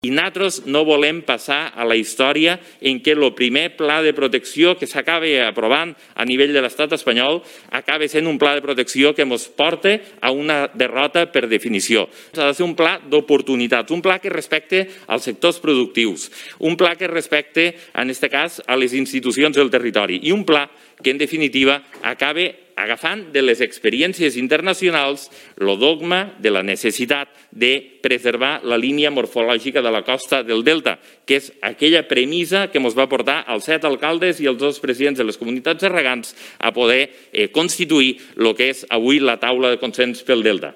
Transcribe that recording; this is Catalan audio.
I nosaltres no volem passar a la història en què el primer pla de protecció que s'acaba aprovant a nivell de l'estat espanyol acaba sent un pla de protecció que ens porta a una derrota per definició. Ha de ser un pla d'oportunitats, un pla que respecte als sectors productius, un pla que respecte, en aquest cas, a les institucions del territori i un pla que, en definitiva, acaba agafant de les experiències internacionals el dogma de la necessitat de preservar la línia morfològica de la costa del Delta, que és aquella premissa que ens va portar als 7 alcaldes i els 2 presidents de les comunitats de regants a poder constituir el que és avui la taula de consens pel Delta.